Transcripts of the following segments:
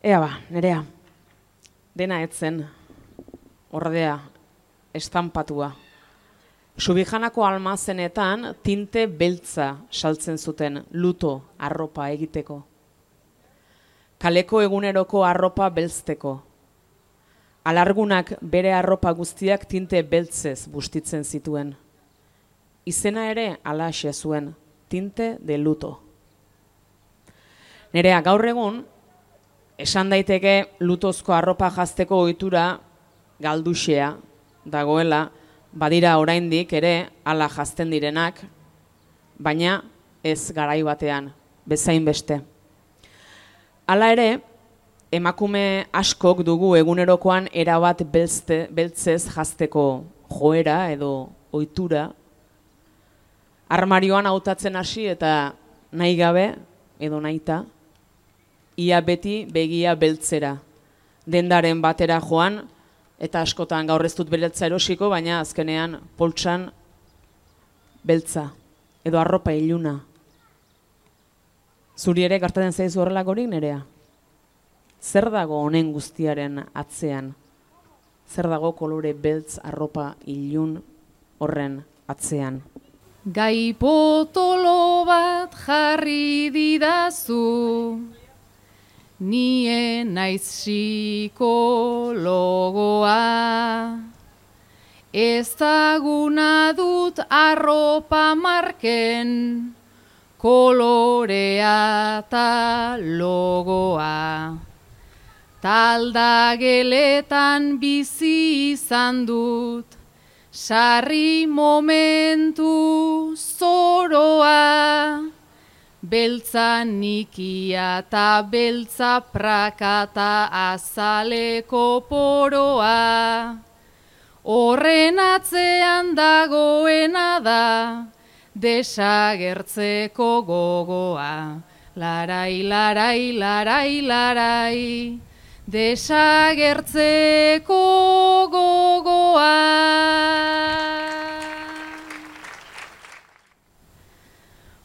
Ea ba, Nerea, dena etzen, ordea, estampatua. Subijanako almazenetan tinte beltza saltzen zuten luto arropa egiteko. Kaleko eguneroko arropa beltzteko. Alargunak bere arropa guztiak tinte beltzez bustitzen zituen. Izena ere halaxe zuen, tinte de luto. Nerea, gaur egun, esan daiteke lutozko arropa jazteko ohitura galduxea dagoela, badira oraindik ere hala jazten direnak, baina ez garai batean, bezain beste. Hala ere, emakume askok dugu egunerokoan erabat beltzez jazteko joera edo ohitura, armarioan hautatzen hasi eta nahi gabe edo nahita, ia beti begia beltzera, dendaren batera joan, eta askotan gaur ez dut beltza erosiko, baina azkenean poltsan beltza, edo arropa iluna. Zuri ere gertatzen zaizu horrelakorik, Nerea? Zer dago honen guztiaren atzean? Zer dago kolore beltz arropa ilun horren atzean? Gai potolo bat jarri didazu, nie naiz psikologoa. Ezaguna dut arropa marken, kolorea eta logoa. Taldageletan bizi izan dut, sarri momentu zoroa. Beltza nikia eta beltza prakata azaleko poroa. Horren atzean dagoena da, desagertzeko gogoa. Larai, larai, larai, larai, desagertzeko gogoa.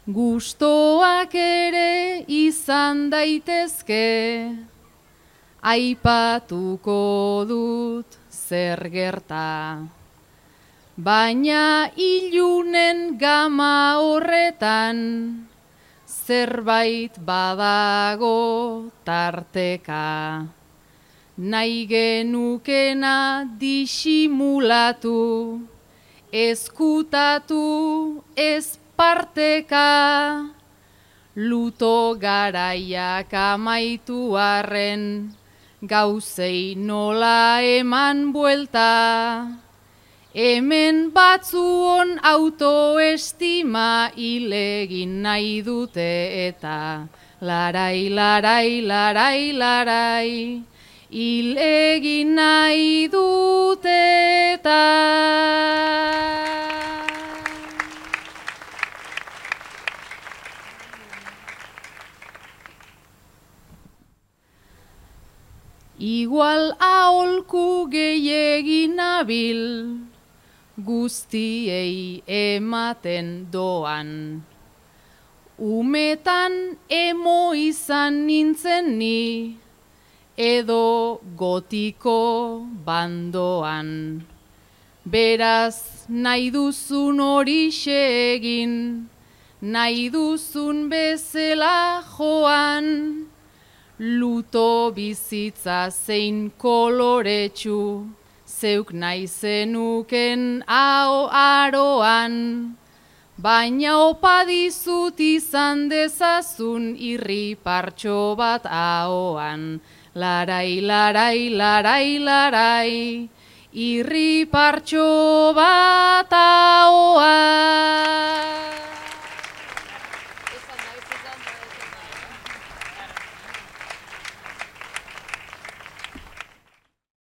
Gustoak ere izan daitezke, aipatuko dut zer gerta. Baina ilunen gama horretan, zerbait badago tarteka. Nahi genukena disimulatu, ezkutatu ez parteka. Luto garaiak amaitu arren, gauzei nola eman buelta. Hemen batzuon autoestima hilegin nahi dute eta larai, larai, larai, larai, hilegin nahi dute eta. Igual aholku gehiegin nabil, guztiei ematen doan. Umetan emo izan nintzen ni, edo gotiko bandoan. Beraz nahi duzun horixe egin, nahi duzun bezala joan. Luto bizitza zein koloretsu, zeuk nahi zenuken aroan. Baina opa dizut izan dezazun irri partxo bat ahoan. Larai, larai, larai, larai, irri partxo bat ahoan.